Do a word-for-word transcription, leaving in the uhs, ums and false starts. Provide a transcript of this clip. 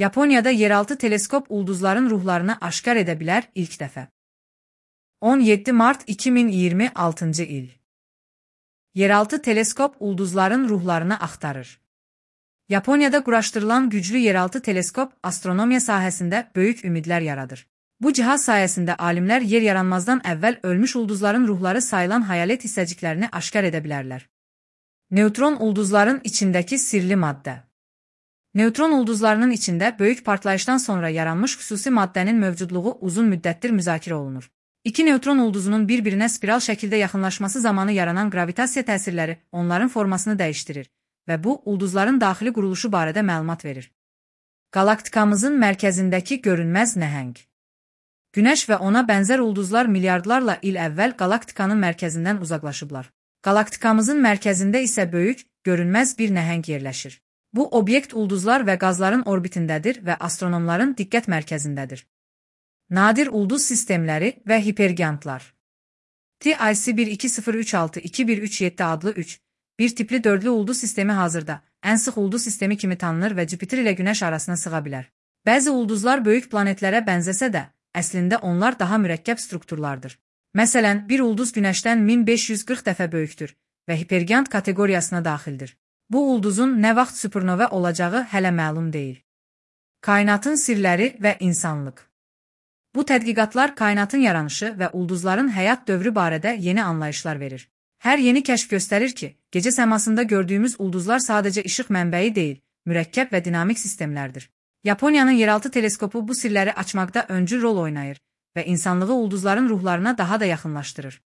Yaponiyada yeraltı teleskop ulduzların ruhlarını aşkar edə bilər ilk dəfə. on yeddi mart iki min iyirmi altıncı il. Yeraltı teleskop ulduzların ruhlarını axtarır. Yaponiyada quraşdırılan güclü yeraltı teleskop astronomiya sahəsində böyük ümidlər yaradır. Bu cihaz sayəsində alimlər yer yaranmazdan əvvəl ölmüş ulduzların ruhları sayılan hayalet hissəciklərini aşkar edə bilərlər. Neutron ulduzların içindəki sirli maddə. Neutron ulduzlarının içində böyük partlayışdan sonra yaranmış xüsusi maddənin mövcudluğu uzun müddətdir müzakirə olunur. İki neutron ulduzunun bir-birinə spiral şəkildə yaxınlaşması zamanı yaranan gravitasiya təsirləri onların formasını dəyişdirir və bu, ulduzların daxili quruluşu barədə məlumat verir. Qalaktikamızın mərkəzindəki görünməz nəhəng. Günəş və ona bənzər ulduzlar milyardlarla il əvvəl qalaktikanın mərkəzindən uzaqlaşıblar. Qalaktikamızın mərkəzində isə böyük, görünməz bir nəhəng yerləşir. Bu obyekt ulduzlar və qazların orbitindədir və astronomların diqqət mərkəzindədir. Nadir ulduz sistemləri və hipergiantlar. T I C bir iki sıfır üç altı iki bir üç yeddi adlı üç, bir tipli dördlü ulduz sistemi hazırda ən sıx ulduz sistemi kimi tanınır və Jüpiter ilə Günəş arasına sığa bilər. Bəzi ulduzlar böyük planetlərə bənzəsə də, əslində onlar daha mürəkkəb strukturlardır. Məsələn, bir ulduz Günəşdən min beş yüz qırx dəfə böyükdür və hipergiant kateqoriyasına daxildir. Bu ulduzun nə vaxt supernova olacağı hələ məlum deyil. Kainatın sirləri və insanlıq. Bu tədqiqatlar kainatın yaranışı və ulduzların həyat dövrü barədə yeni anlayışlar verir. Hər yeni kəşf göstərir ki, gecə səmasında gördüyümüz ulduzlar sadəcə işıq mənbəyi deyil, mürəkkəb və dinamik sistemlərdir. Yaponiyanın yeraltı teleskopu bu sirləri açmaqda öncül rol oynayır və insanlığı ulduzların ruhlarına daha da yaxınlaşdırır.